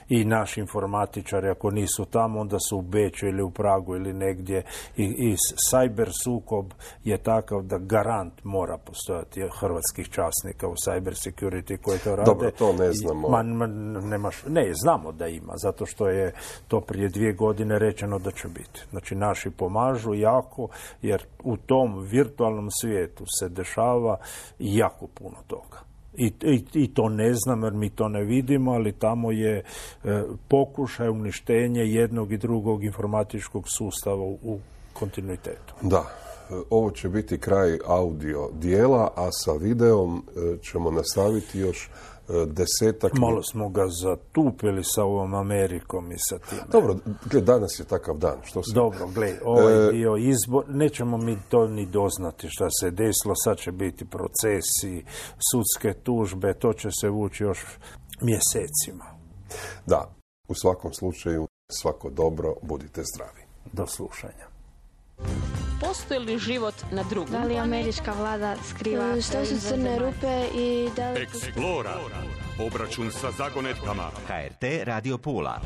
I naši informatičari, ako nisu tamo, onda su u Beču ili u Pragu ili negdje. I, i cyber sukob je takav da garant mora postojati hrvatskih časnika u cyber security koji to rade. Dobro, to ne znamo. Ma, ma, nemaš, ne, znamo da ima, zato što je to prije dvije godine rečeno da će biti. Znači, naši pomažu jako, jer u tom virtualnom svijetu se dešava jako puno toga. I, i, I to ne znam jer mi to ne vidimo, ali tamo je e, pokušaj uništenje jednog i drugog informatičkog sustava u, u kontinuitetu. Da, ovo će biti kraj audio dijela, a sa videom e, ćemo nastaviti još e, desetak... Malo smo ga zatupili sa ovom Amerikom i sa time. Dobro, gled, danas je takav dan. Što se... Dobro, gled, ovaj dio izbor, nećemo mi to ni doznati šta se desilo, sad će biti procesi, sudske tužbe, to će se vući još mjesecima. Da, u svakom slučaju, svako dobro, budite zdravi. Do slušanja. Postoji li život na drugom? Da li američka vlada skriva što su crne rupe i da li... Explora. Obračun sa zagonetkama. H R T Radio Pula.